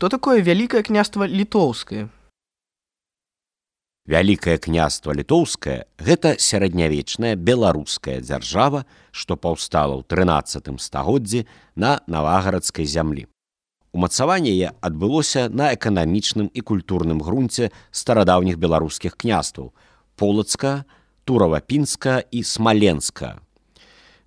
Что такое Великое княства Літоўскае? Вялікае княства літоўскае – гэта сярэднявечная беларуская дзяржава, што паўстала ў 13 стагоддзі на навагарадскай зямлі. Умацаванне яе адбылося на эканамічным і культурным грунце старадаўніх беларускіх княстваў – Полацка, Турава-Пінска і Смаленска.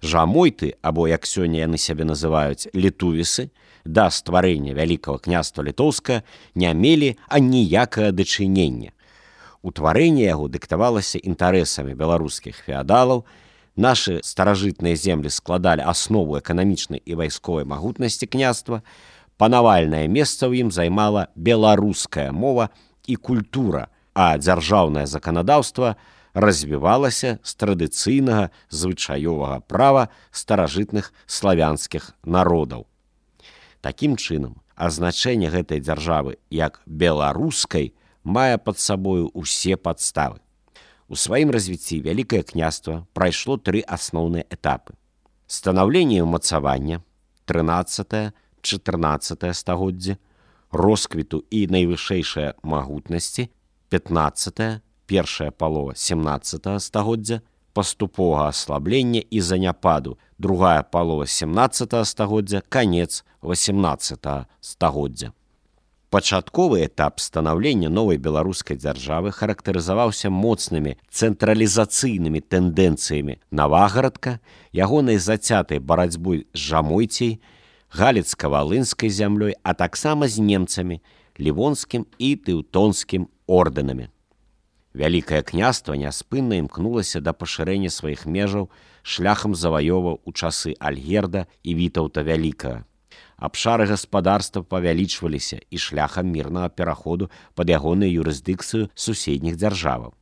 Жамойты, або, як сёння яны сябе называюць, літувісы, да стварэння Вялікага княства літоўскае не мелі аніякага дачынення. Утварэнне яго дыктавалася інтарэсамі беларускіх феадалаў, нашы старажытныя землі складалі аснову эканамічнай і вайсковай магутнасці княства, панавальнае месца ў ім займала беларуская мова і культура, а дзяржаўнае заканадаўства развівалася з традыцыйнага звычаёвага права старажытных славянскіх народаў. Такім чынам, азначэнне гэтай дзяржавы як беларускай мае пад сабою ўсе падставы. У сваім развіцці Вялікае княства прайшло 3 асноўныя этапы. Станаўленне і ўмацавання, 13-14 стагоддзі, росквіту і найвышэйшай магутнасці, 15-е, першая палова 17 стагоддзя, паступовага аслаблення і заняпаду, другая палова 17 стагоддзя, канец 18 стагоддзя. Пачатковы этап станаўлення новай беларускай дзяржавы характарызаваўся моцнымі цэнтралізацыйнымі тэндэнцыямі Навагарадка, ягонай зацятай барацьбой з Жамойцей, галіцка-валынскай зямлёй, а таксама з немцамі, лівонскім і тэўтонскім ордэнамі. Вялікае княства няспынна імкнулася да пашырэння сваіх межаў шляхам заваёваў у часы Альгерда і Вітаўта Вялікага. Абшары гаспадарства павялічваліся і шляхам мірнага пераходу пад ягоную юрысдыкцыю суседніх дзяржаваў.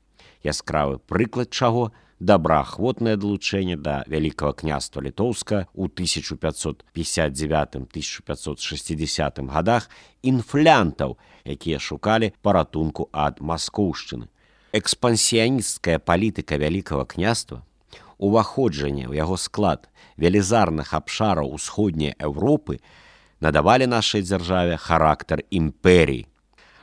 Яскравы прыклад чаго – добраахвотнае далучэнне да Вялікага княства літоўска ў 1559-1560 гадах інфлянтаў, якія шукалі паратунку ад маскоўшчыны. Экспансіянісцкая палітыка Вялікага княства, уваходжанне ў яго склад велізарных абшараў усходняй Еўропы надавалі нашай дзяржаве характар імперій.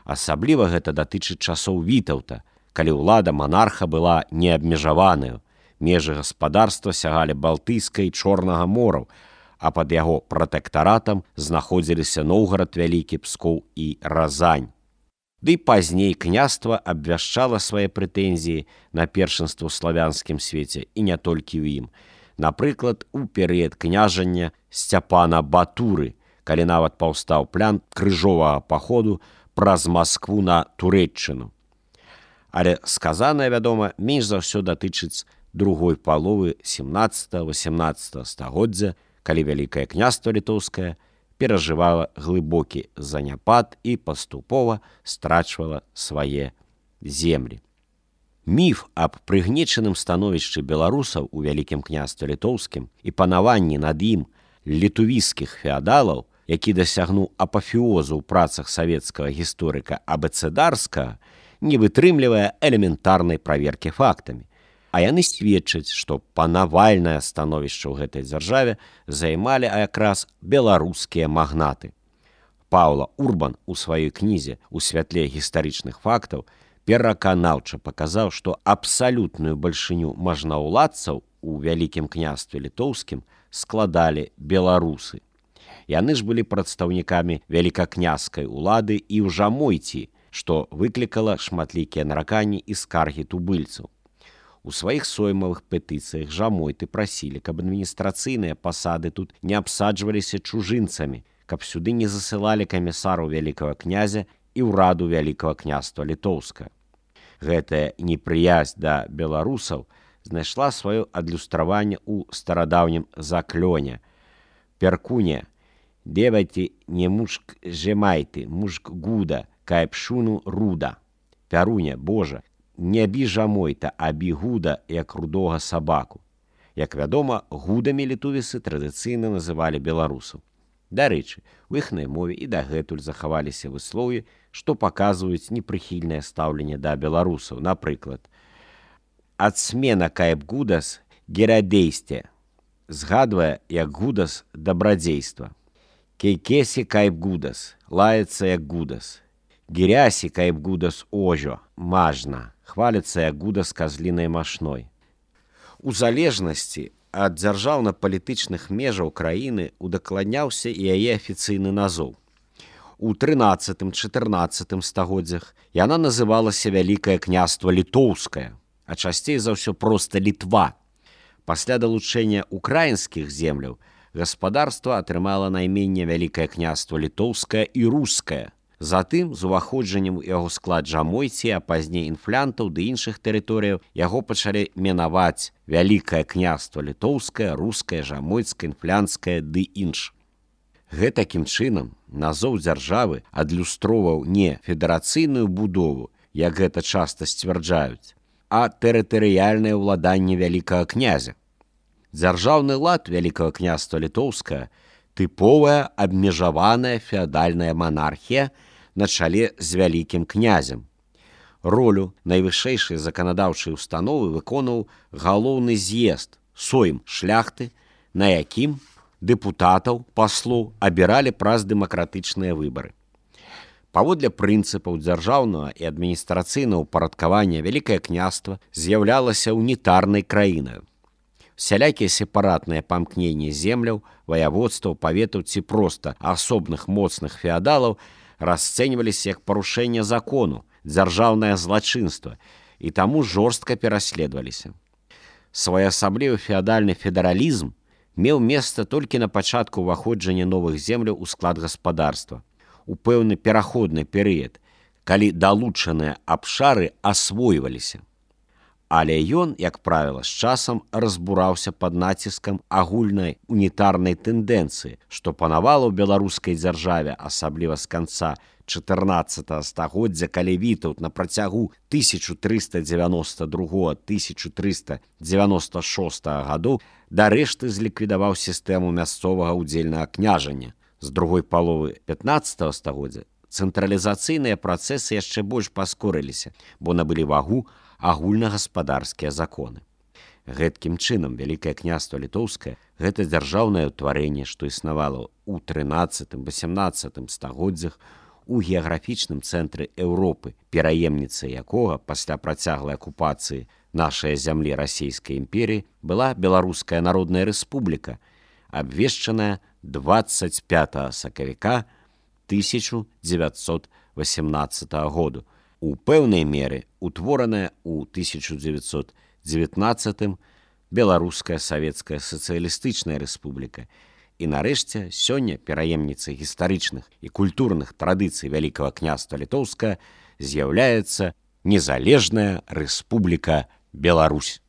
Асабліва гэта датычыць часоў Вітаўта, калі ўлада манарха была неабмежаваная, межы гаспадарства сягалі Балтыйскай і Чорнага мораў, а пад яго пратэктаратам знаходзіліся Новгарад Вялікі, Пскоў і Разань. Ды пазней княства абвяшчала свае прэтэнзіі на першынства ў славянскім свеце і не толькі ў ім. Напрыклад, у перыяд княжання Сцяпана Батуры, калі нават паўстаў план крыжовага паходу праз Маскву на Турэччыну. Але сказанае, вядома, менш за ўсё датычыць другой паловы 17-18 стагоддзя, калі Вялікае княства літоўскае перажывала глыбокі заняпад і паступова страчвала свае землі. Міф аб прыгнечаным становішчы беларусаў у Вялікім княстве літоўскім і панаванні над ім літувійскіх феадалаў, які дасягнуў апафеозу ў працах савецкага гісторыка Абэцэдарскага, не вытрымлівае элементарнай праверкі фактамі. А яны сведчаць, што панавальнае становішча ў гэтай дзяржаве займалі якраз беларускія магнаты. Паўла Урбан у сваёй кнізе «У святле гістарычных фактаў» пераканаўча паказаў, што абсалютную бальшыню мажнаўладцаў у Вялікім княстве літоўскім складалі беларусы. Яны ж былі прадстаўнікамі вялікакняскай улады і ў Жамойці, што выклікала шматлікія нараканні і скаргі тубыльцаў. У сваіх соймавых петыцыях Жамойты прасілі, каб адміністрацыйныя пасады тут не абсаджваліся чужынцамі, каб сюды не засылалі камісараў вялікага князя і ўраду Вялікага княства літоўскага. Гэтая непрыязь да беларусаў знайшла сваё адлюстраванне ў старадаўнім заклёне. Перкуне, девайце не мужк жемайты, мужк гуда, кай пшуну руда. Пяруня, Божа, не бі Жамойта, а бі гуда, як рудога сабаку. Як вядома, гудамі літувісы традыцыйна называлі беларусаў. Дарэчы, у іхнай мове і дагэтуль захаваліся выслоўі, што паказваюць непрыхільнае стаўленне да беларусаў. Напрыклад, «Ацмена кайб гудас герадейсте» згадвае як гудас дабрадзейства. Кейкесі кайп гудас, лаецца як гудас. Гірясі кайп гудас ожо, мажна, хваліцца як гудас казлінай машной. У залежнасці ад дзяржаўна-палітычных межаў краіны удакладняўся і яе афіцыйны назоў. У 13-14 стагоддзях яна называлася Вялікае княства Літоўскае, а часцей за ўсё проста Літва. Пасля далучэння украінскіх земляў гаспадарства атрымала найменне Вялікае княства Літоўскае і Рускае. Затым, з уваходжаннем у яго склад жамойці, а пазней інфлянтаў ды іншых тэрыторыяў, яго пачалі менаваць Вялікае княства Літоўскае, Рускае, Жамойцкае, інфлянцкае ды інш. Гэтакім чынам назоў дзяржавы адлюстроўваў не федэрацыйную будову, як гэта часта сцвярджаюць, а тэрытарыяльнае ўладанне вялікага князя. Дзяржаўны лад Вялікага княства Літоўскага тыповая абмежаваная феадальная манархія на чале з вялікім князем. Ролю найвышэйшай заканадаўчай установы выконваў галоўны з'езд, сойм шляхты, на якім дэпутатаў, паслоў абіралі праз дэмакратычныя выбары. Паводле прынцыпаў дзяржаўнага і адміністрацыйнага ўпарадкавання Вялікае княства з'яўлялася унітарнай краінаю. Сялякія сепаратныя памкненні земляў, ваяводстваў, паветаў ці проста асобных моцных феадалаў расцэньваліся як парушэнне закону, дзяржаўнае злачынства і таму жорстка пераследаваліся. Своеасаблівы феадальны федэралізм меў месца толькі на пачатку ўваходжання новых земляў у склад гаспадарства, у пэўны пераходны перыяд, калі далучаныя абшары асвойваліся. Але ён, як правіла, з часам разбураўся пад націскам агульнай унітарнай тэндэнцыі, што панавала ў беларускай дзяржаве, асабліва з канца 14 стагоддзя, калі Вітаўт на працягу 1392-1396 гадоў дарэшты зліквідаваў сістэму мясцовага ўдзельнага княжання. З другой паловы 15 стагоддзя цэнтралізацыйныя працэсы яшчэ больш паскорыліся, бо набылі вагу агульнагаспадарскія законы. Гэткім чынам Вялікае княства Літоўскае – гэта дзяржаўнае ўтварэнне, што існавала ў 13-18 стагоддзях у геаграфічным цэнтры Еўропы, пераемніцай якога пасля працяглай акупацыі нашай зямлі Расійскай імперіі была Беларуская Народная Рэспубліка, абвешчаная 25 сакавіка 1918 году, у пэўнай меры утвораная ў 1919 Беларуская Савецкая Сацыялістычная Рэспубліка і, нарэшце, сёння пераемніцай гістарычных і культурных традыцый Вялікага княства Літоўскага з'яўляецца Незалежная Рэспубліка Беларусь.